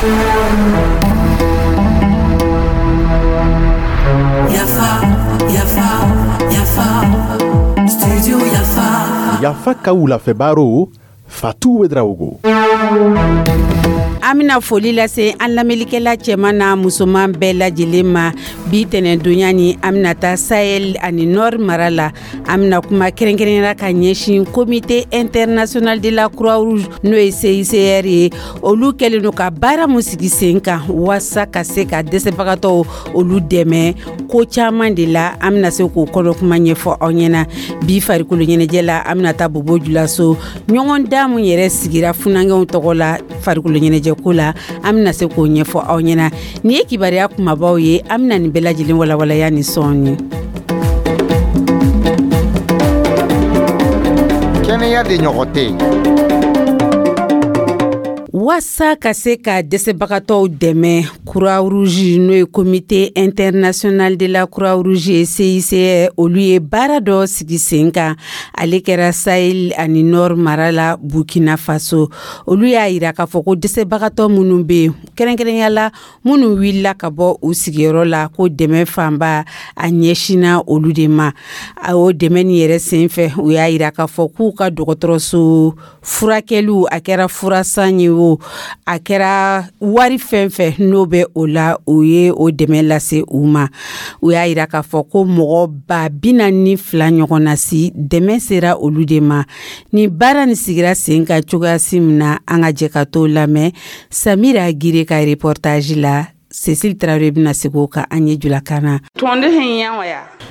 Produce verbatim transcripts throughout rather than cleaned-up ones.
Yafa, Yafa, Yafa, Studio Yafa. Yafa ka wulafɛ baro, Fatu Ouédraogo. An bɛna foli lase an lamɛnlikɛla cɛman n'a musoman bɛɛ lajɛlen ma. Bi tɛnɛndonya ni, an bɛna taa Sahel ani Nord mara la. An bɛna kuma kɛrɛnkɛrɛnnenya ka ɲɛsin Comité international de la Croix Rouge, n'o ye C I C R ye. Olu kɛlen don ka baara mun sigi sen kan waasa ka se ka dɛsɛbagatɔw olu dɛmɛ ko caman de la, an bɛna se k'o kɔnɔ kuma ɲɛfɔ aw ɲɛna. Bi farikolo ɲɛnajɛ la, an bɛna taa Bobo Julaso, ɲɔgɔn dan mun yɛrɛ sigira funankɛw tɔgɔ la farikolo ɲɛnajɛ ko la, an bɛna se k'o ɲɛfɔ aw ɲɛna. Nin ye kibaruya kumabaw ye. An bɛna nin bɛɛ lajɛlen walawalaya ni sɔɔni. Kɛnɛya de ɲɔgɔn tɛ yen. Waasa ka se ka dɛsɛbagatɔw dɛmɛ, Croix Rouge, n'o ye Comité international de la Croix Rouge ye, C I C R, olu ye baara dɔ sigi sen kan. Ale kɛra Sahel ani Nord mara la, Burkina Faso. Olu y'a yira k'a fɔ ko dɛsɛbagatɔ minnu bɛ yen, kɛrɛnkɛrɛnya la minnu wulila ka bɔ u sigiyɔrɔ la, ko dɛmɛ fanba a ɲɛsinna olu de ma. O dɛmɛ nin yɛrɛ sen fɛ, u y'a yira k'a fɔ k'u ka dɔgɔtɔrɔso furakɛliw, a kɛra furasan ye o, a kɛra wari fɛn fɛn n'o bɛ o la, o ye o dɛmɛ lase u ma. U y'a yira k'a fɔ ko mɔgɔ ba bi naani ni fila ɲɔgɔn na si, dɛmɛ sera olu de ma. Ni baara nin sigira sen kan cogoya si min na, an ka jɛ ka t'o lamɛn Samira Gire ka reportage la. Cécile Traoré bɛna segin o kan an ye julakan na.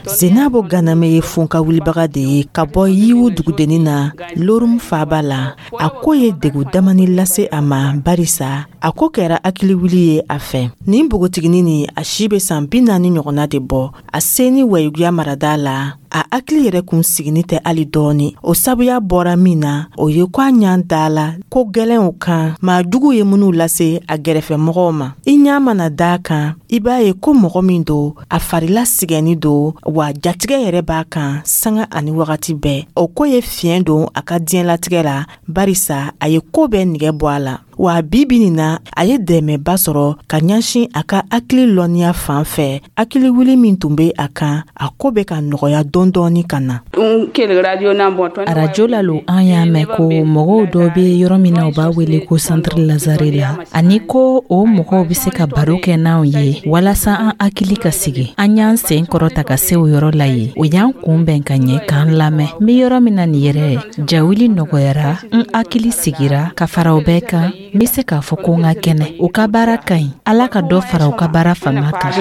Zenabo Ganame ye funka wulibaga de ye ka bɔ Yiwu dugudennin na, Lorum faaba la. A ko ye degu damani lase a ma, barisa a ko kɛra hakiliwuli ye a fɛ. Nin npogotiginin nin, a si bɛ san bi naani ɲɔgɔnna de bɔ. A se ni Wayiguya marada la, a hakili yɛrɛ kun sigini tɛ hali dɔɔni. O sabuya bɔra min na, o ye ko a ɲan da la ko gwɛlɛnw kan, maa jugu ye minnu lase a gɛrɛfɛmɔgɔw ma. I ɲa mana da kan, i b'a ye ko mɔgɔ min don, a farila sigɛnni don, wa jatigɛ yɛrɛ b'a kan sanga ani wagati bɛɛ. O ko ye fiɲɛ don a ka diɲɛlatigɛ la, barisa a ye ko bɛɛ nigɛ bɔ a la. Wa bi bi nin na, a ye dɛmɛba sɔrɔ ka ɲɛsin a ka hakili lɔnniya fan fɛ. Hakiliwuli min tun bɛ a kan, a ko bɛ ka nɔgɔya dɔɔni dɔɔni ka na. Arajo la lo an y'a mɛn ko mɔgɔw dɔ bɛ yɔrɔ min na, u b'a wele ko Centre Lazare la, ani ko o mɔgɔw bɛ se ka baro kɛ n'anw ye walasa an hakili ka sigi. An y'an sen kɔrɔta ka se o yɔrɔ la yen, o y'an kunbɛn ka ɲɛ k'an lamɛn. N bɛ yɔrɔ min na nin yɛrɛ, jawuli nɔgɔyara, n hakili sigira. Ka fara o bɛɛ kan, n bɛ se k'a fɔ ko n ka kɛnɛ. U ka baara ka ɲi, Ala ka dɔ fara u ka baara fanga kan.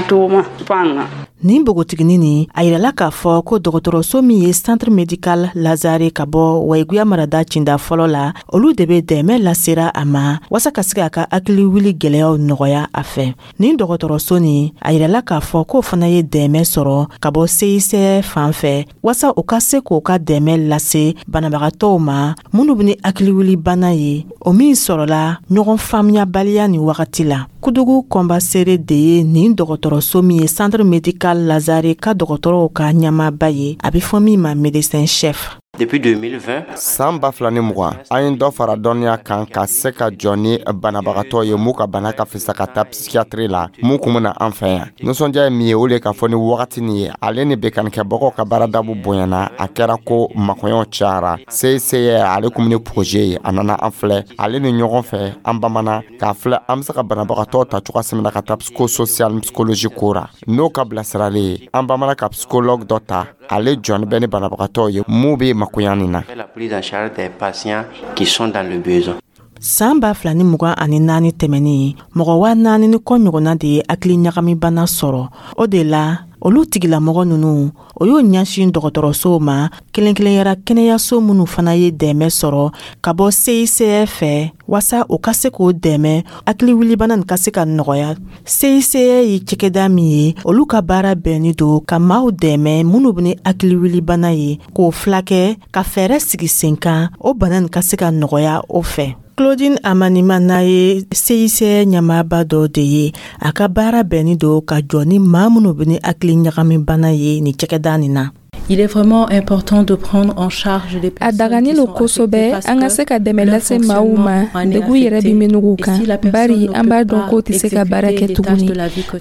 Nin npogotiginin nin, a yirala k'a fɔ ko dɔgɔtɔrɔso min ye Centre médical Lazare ka bɔ Wayiguya marada cinda fɔlɔ la, olu de bɛ dɛmɛ lasera a ma waasa ka se k'a ka hakiliwuli gwɛlɛyaw nɔgɔya a fɛ. Nin dɔgɔtɔrɔso nin, a yirala k'a fɔ k'o fana ye dɛmɛ sɔrɔ ka bɔ C I C R fan fɛ waasa u ka se k'o ka dɛmɛ lase banabagatɔw ma minnu bɛ ni hakiliwuli bana ye, o min sɔrɔla ɲɔgɔn faamuyabaliya nin wagati la. Kudugu Kɔnbasere de ye nin dɔgɔtɔrɔso min ye Centre médical Lazare ka dɔgɔtɔrɔw ka ɲɛmaaba ye, a bɛ fɔ min ma médecin chef. Depuis deux mille vingt, San ba fila ni mugan, an ye dɔ fara dɔnniya kan ka se ka jɔ ni banabagatɔ ye m'u ka bana ka fisa ka taa psychiatrie la, mun kun bena an fɛ yan. Nisɔndiya ye min ye, o le k'a fɔ ni wagati nin ye, ale ni bekanikɛbagaw ka baaradabu bonyana, a kɛra ko makɔɲɔw cayara. C I C R, ale kun ni projet ye, a nana an filɛ. Ale ni ɲɔgɔn fɛ, an bamana k'a filɛ an be se ka banabagatɔ ta cogoya min na ka taa psychosocial psychologie ko ra. N'o ka bilasiralen ye, an bamana ka psychologue dɔ ta, ale jɔni bɛ ni banabagatɔw ye mun be makoya nin na. La prise en charge des patients qui sont dans le besoin. San ba fila ni mugan ani naani tɛmɛnin, mɔgɔ waa naani ni kɔ ɲɔgɔnna de ye hakili ɲagamibana sɔrɔ. O de la, olu tigilamɔgɔ ninnu, o y'o ɲɛsin dɔgɔtɔrɔsow ma, kelen kelenyara kɛnɛyaso minnu fana ye dɛmɛ sɔrɔ ka bɔ C I C R fɛ waasa u ka se k'o dɛmɛ hakiliwulibana nin ka se ka nɔgɔya. C I C R ye cakɛda min ye, olu ka baara bɛnni don ka maaw dɛmɛ minnu bɛ ni hakiliwulibana ye, k'o filakɛ, ka fɛɛrɛ sigi sen kan, o bana nin ka se ka nɔgɔya o fɛ. Claudine Amanima n'a ye C I C R ɲɛmaaba dɔ de ye, a ka baara bɛnni don ka jɔ ni maa minnu bɛ ni hakili ɲagamibana ye nin cakɛda nin na. Il est vraiment important de prendre en charge les A dagani lo kosɛbɛ an ka se ka dɛmɛ lase maaw ma, degun yɛrɛ bɛ minnu kan, bari an b'a dɔn k'o tɛ se ka baara kɛ tuguni.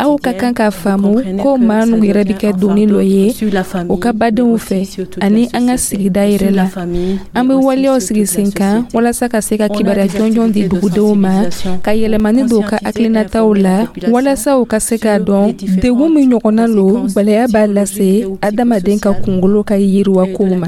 Aw ka kan k'a faamu ko maa ninnu yɛrɛ bɛ kɛ doni dɔ ye u ka badenw fɛ ani an ka sigida yɛrɛ la. An bɛ waleyaw sigi sen kan walasa ka se ka kibaruya jɔnjɔn di dugudenw ma, ka yɛlɛmani don u ka hakilinataw la, walasa u ka se k'a dɔn degun min ɲɔgɔnna lo gwɛlɛya b'a lase adamaden ka kunkolo ka yiriwa kow ma.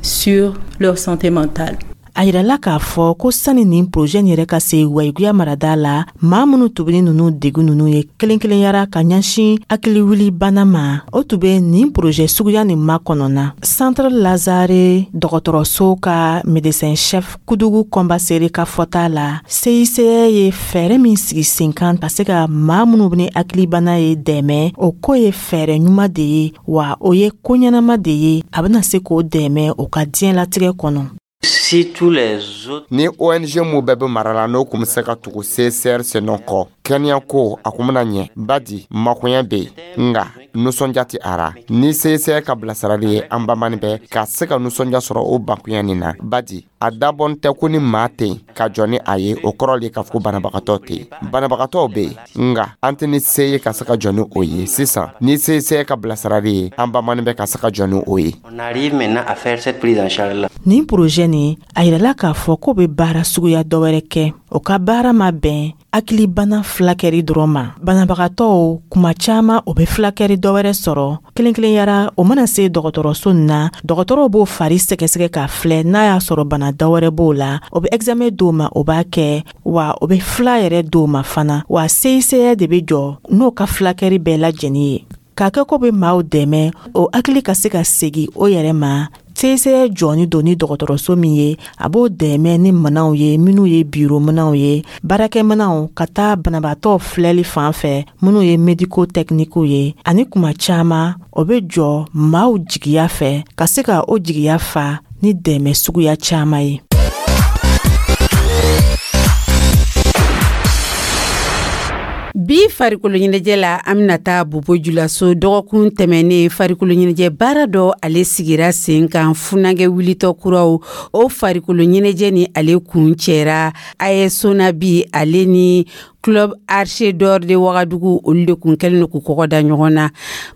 Sur leur santé mentale. A yirala k'a fɔ ko sani nin projet nin yɛrɛ ka se Wayiguya marada la, maa minnu tun bɛ ni ninnu degun ninnu ye kelen kelenyara ka ɲɛsin hakiliwuli bana ma, o tun bɛ nin projet suguya nin makɔnɔna. Centre Lazare dɔgɔtɔrɔso ka médecin chef Kudugu Kɔnbasere ka fɔta la, C I C R ye fɛɛrɛ min sigi sen kan ka se ka maa minnu bɛ ni hakilibana ye dɛmɛ, o ko ye fɛɛrɛ ɲuman de ye, wa o ye ko ɲɛnama de ye, a bɛna se k'o dɛmɛ o ka diɲɛlatigɛ kɔnɔ. Si tous les autres Ni O N G mun bɛɛ bɛ mara la, n'o kun bɛ se ka tugu C I C R senɔ kɔ kɛnɛya ko, a kun bɛna ɲɛ badi makoɲɛ bɛ yen, nka nisɔndiya tɛ a ra. Ni C I C R ka bilasirali ye, an bamani bɛ ka se ka nisɔndiya sɔrɔ o bakunya nin na, badi a dabɔn tɛ ko ni maa tɛ yen ka jɔ ni a ye, o kɔrɔ le k'a fɔ ko banabagatɔ tɛ yen. Banabagatɔw bɛ yen, nka an tɛ ni se ye ka se ka jɔ ni o ye. Sisan ni C I C R ka bilasirali ye, an bamani bɛ ka se ka jɔ ni o ye. On arrive maintenant à faire cette prise en charge là. Nin projet nin, a yirala k'a fɔ k'o bɛ baara suguya dɔ wɛrɛ kɛ. O ka baara ma bɛn hakilibana fulakɛri dɔrɔn ma. Banabagatɔw kuma caaman, o bɛ fulakɛri dɔ wɛrɛ sɔrɔ kelen kelenyara. O mana se dɔgɔtɔrɔso nin na, dɔgɔtɔrɔw b'o fari sɛgɛsɛgɛ k'a filɛ n'a y'a sɔrɔ bana dɔ wɛrɛ b'o la. O bɛ examen d'o ma, o b'a kɛ, wa o bɛ fila yɛrɛ d'o ma fana. Wa C I C R de bɛ jɔ n'o ka fulakɛri bɛɛ lajɛlen ye, k'a kɛ ko bɛ maaw dɛmɛ, o hakili ka se ka segi o yɛrɛ ma. C I C R jɔni don ni dɔgɔtɔrɔso min ye, a b'o dɛmɛ ni minɛnw ye, minnu ye biro minɛnw ye, baarakɛminɛnw, ka taa banabaatɔ filɛli fan fɛ, minnu ye médico techniquew ye. Ani kuma caaman, o bɛ jɔ maaw jigiya fɛ, ka se ka o jigiya fa ni dɛmɛ suguya caaman ye. Bi farikolo ɲɛnajɛ la, an bɛna taa Bobo Julaso. Dɔgɔkun tɛmɛnen, farikolo ɲɛnajɛ baara dɔ ale sigira sen kan, funankɛ wulitɔ kuraw. O farikolo ɲɛnajɛ ni ale kun cɛra A S Sonabi ale ni Club Archer d'Or de Wagadugu, olu de kun kɛlen don k'u kɔgɔ da ɲɔgɔn na.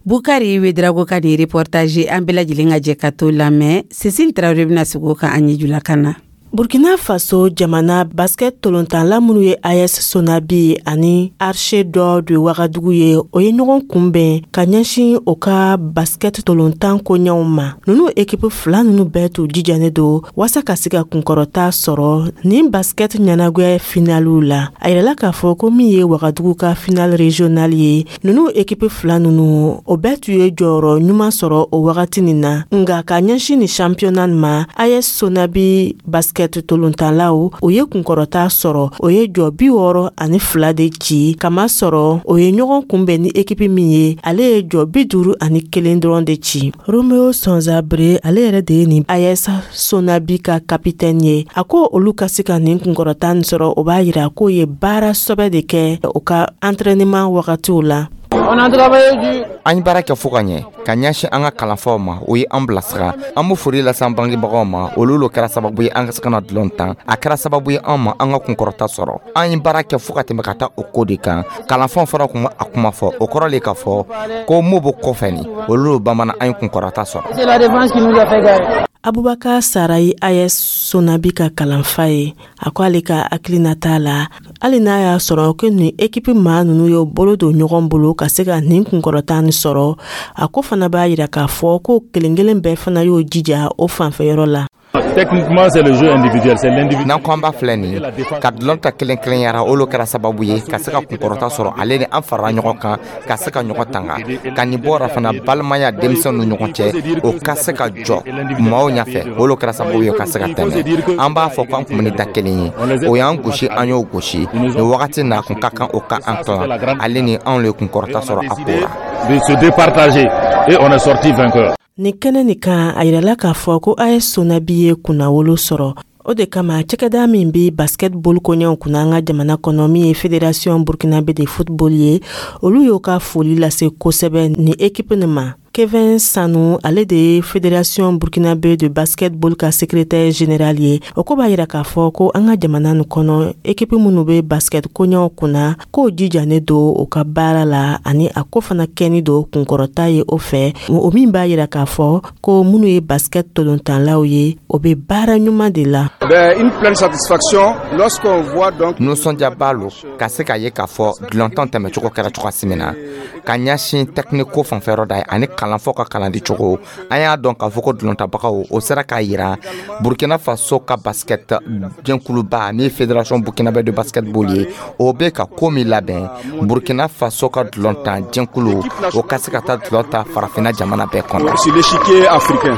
Bukari Wedrago ka nin reportage, an bɛɛ lajɛlen ka jɛ ka to lamɛn. Cécile Traoré bɛna sigi o kan an ye julakan na. Burkina Faso jamana basket tolontanla minnu ye A S Sonabi ani Archer d'Or de Wagadugu ye, o ye ɲɔgɔn kunbɛn ka ɲɛsin o ka basket tolontan koɲɛw ma. Nunu ekipu fila nunu bɛɛ t'u jijanen don waasa ka se ka kunkɔrɔta sɔrɔ nin basket ɲɛnagoya finaliw la. A yirala k'a fɔ ko min ye Wagadugu ka final régional ye, nunu ekipu fila nunu, o bɛɛ tun ye jɔyɔrɔ ɲuman sɔrɔ o wagati nin na. Nga ka ɲɛsin ni championnat ma, A S Sonabi basket tolontanlaw, o ye kunkɔrɔta sɔrɔ. O ye jɔ bi wɔɔrɔ ani fila de ci, kama sɔrɔ o ye ɲɔgɔn kunbɛn ni ekipi min ye, ale ye jɔ bi duuru ani kelen dɔrɔn de ci. Romeo Sonzabre, ale yɛrɛ de ye nin A S Sonabi ka kapitɛni ye, a ko olu ka se ka nin kunkɔrɔta nin sɔrɔ, o b'a yira k'o ye baara sɔbɛ de kɛ o ka entraînement wagatiw la. An ye baara kɛ fo ka ɲɛ ka ɲɛsin an ka kalanfaw ma, o ye an bilasira. An be foli lase an bangebagaw ma, olu lo kɛra sababu ye an ka se ka na dulon tan. A kɛra sababu ye an ma an ka kunkɔrɔta sɔrɔ. An ye baara kɛ fo ka tɛmɛ ka taa o ko de kan. Kalanfaw fana kun a kuma fɔ, o kɔrɔ le k'a fɔ ko mo bo kɔfɛ ni olu lo bamanan, an ye kunkɔrɔta sɔrɔ. Abubakar Sarayi, A S Sonabi ka kalanfa ye, a ko ale ka hakilina t'a la, hali n'a y'a sɔrɔ ko nin ekipi maa ninnu ye bolo don ɲɔgɔn bolo ka se ka nin kunkɔrɔta nin sɔrɔ, a ko fana b'a yira k'a fɔ ko kelen kelen bɛɛ fana y'o jija o fanfɛyɔrɔ la. Techniquement, c'est le jeu individuel, c'est l'individu. N'an ko an b'a filɛ nin ka dulon ta kelen kelenyara, olu kɛra sababu ye ka se ka kunkɔrɔta sɔrɔ. Ale ni an farala ɲɔgɔn kan ka se ka ɲɔgɔn tanga ka nin bɔra fana, balimaya denmisɛnw ni ɲɔgɔn cɛ, o ka se ka jɔ maaw ɲɛfɛ, olu kɛra sababu ye ka se ka tɛmɛ. An b'a fɔ k'an kun bɛ ni da kelen ye, o y'an gosi, an y'o gosi. Nin wagati n'a kun ka kan o ka an tilan, ale ni anw le kunkɔrɔta sɔrɔ a ko la. De se départager et on est sorti vainqueur. Nin kɛnɛ nin kan, a yirala k'a fɔ ko A S Sonabi ye kunnawolo sɔrɔ. O de kama, cakɛda min be basketball koɲɛw kunna an ka jamana kɔnɔ, min ye Fédération burkinabé de football ye, olu y'o ka foli lase kosɛbɛ ni ekipe nin ma. Kevin Sanu, ale de ye Fédération burkinabé de basketball ka secrétaire général ye, o ko b'a yira k'a fɔ ko an ka jamana nin kɔnɔ, ekipi minnu be basket koɲɛw kunna, k'o jijanen don o ka baara la, ani a ko fana kɛni don kunkɔrɔta ye o fɛ, o min b'a yira k'a fɔ ko minnu ye basket tolontanlaw ye, o be baara ɲuman de la. Une pleine satisfaction lorsqu'on voit donc Nisɔndiyaba lo ka se k'a ye k'a fɔ dulɔntɔn tɛmɛcogo kɛra cogoya min na ka ɲɛsin tɛkiniko ko fanfɛyɔrɔ da ye ani kalanfɔ ka kalandi cogo. An y'a dɔn k'a fɔ ko dulɔntabagaw o sera k'a yira Burkina Faso ka basket jɛnkuluba min ye Fédération burkinabé de basketball ye, o bɛ ka ko min labɛn Burkina Faso ka dulɔntan jɛnkulu, o ka se ka taa dulɔn ta Farafinna jamana bɛɛ kɔnɔ. Sur l'échiquier africain.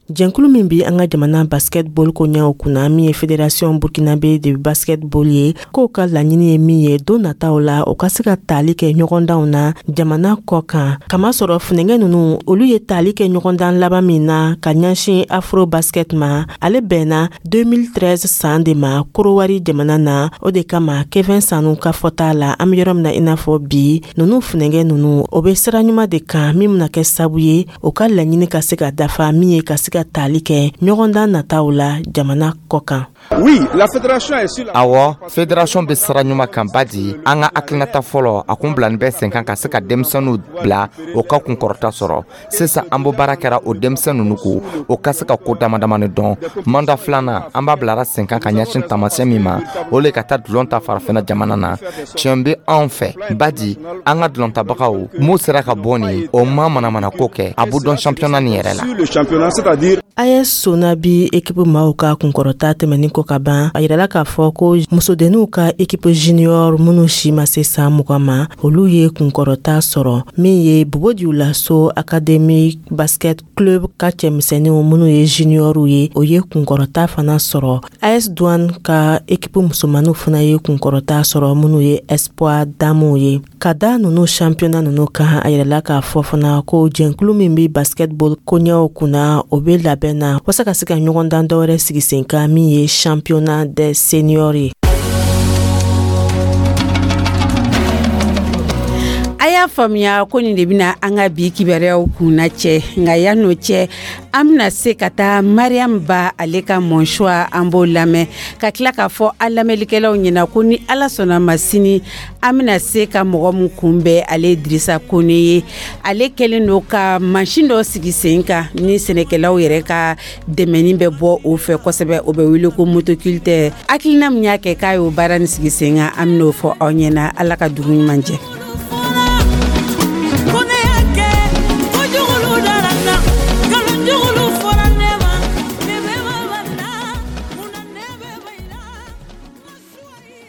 Jɛnkulu min bi an ka jamana basketball koɲɛw kunna, min ye Fédération burkinabé de basketball ye, k'o ka laɲini ye min ye don nataw la, o ka se ka taali kɛ ɲɔgɔndanw na jamana kɔ kan, kamasɔrɔ funɛngɛ nunu, olu ye taali kɛ ɲɔgɔndan laban min na ka ɲɛsin Afro Basket ma, ale bɛnna deux mille treize san de ma Korowari jamana na. O de kama, Kevin Sanu ka fɔta la, an be yɔrɔ min na i n'a fɔ bi, nunu funɛngɛ nunu, o be sira ɲuman de kan min bena kɛ sabu ye o ka laɲini ka se ka dafa, min ye ka se ka taali kɛ ɲɔgɔndan nataw la jamana kɔ kan. Oui, la fédération est sur la Awɔ, fédération bɛ sira ɲuman kan badi an ka hakilinata fɔlɔ, a kun bilani bɛ sen kan ka se ka denmisɛnninw bila o ka kunkɔrɔta sɔrɔ. Sisan an bɔ baara kɛra o denmisɛn ninnu ko o ka se ka ko dama damani dɔn. Mandat filanan, an b'a bilara sen kan ka ɲɛsin taamasiyɛn min ma, o le ka taa dulɔn ta Farafinna jamana na. Tiɲɛ bɛ anw fɛ badi an ka dulɔntabagaw m'u sera ka bɔ nin o ma manamana ko kɛ, a b'u dɔn championnat nin yɛrɛ la. Sur le championnat, c'est-à-dire A S Sonabi ekipu maaw ka kunkɔrɔta tɛmɛnin kɔ ka ban, a yirala k'a fɔ ko musodenninw ka ekipu junior minnu si ma se san mugan ma, olu ye kunkɔrɔta sɔrɔ. Min ye Bobo Dioulasso Académie Basket Club ka cɛmisɛnninw minnu ye juniorw ye, o ye kunkɔrɔta fana sɔrɔ. A S Douane ka ekipu musomaninw fana ye kunkɔrɔta sɔrɔ, minnu ye espoir damuw ye. Ka da nunu championnat nunu kan, a yirala k'a fɔ fana ko jɛnkulu min be basketball koɲɛw kunna, o be labɛn na walasa ka se ka ɲɔgɔndan dɔwɛrɛ sigi sen kan, min ye championnat des seniors ye. A y'a faamuya ko nin de bɛna an ka bi kibaruyaw kunna cɛ, nka yan'o cɛ, an bɛna se ka taa Mariam Ba, ale ka Mon Choix, an b'o lamɛn ka tila k'a fɔ an lamɛnlikɛlaw ɲɛna ko ni Ala sɔnna ma, sini an bɛna se ka mɔgɔ min kunbɛn, ale ye Dirisa Kone ye. Ale kɛlen don ka mansin dɔ sigi sen kan ni sɛnɛkɛlaw yɛrɛ ka dɛmɛni bɛ bɔ o fɛ kosɛbɛ, o bɛ wele ko motoculteur. Hakilina min y'a kɛ k'a y'o baara nin sigi sen kan, an bɛn'o fɔ aw ɲɛna. Ala ka dugu ɲuman jɛ.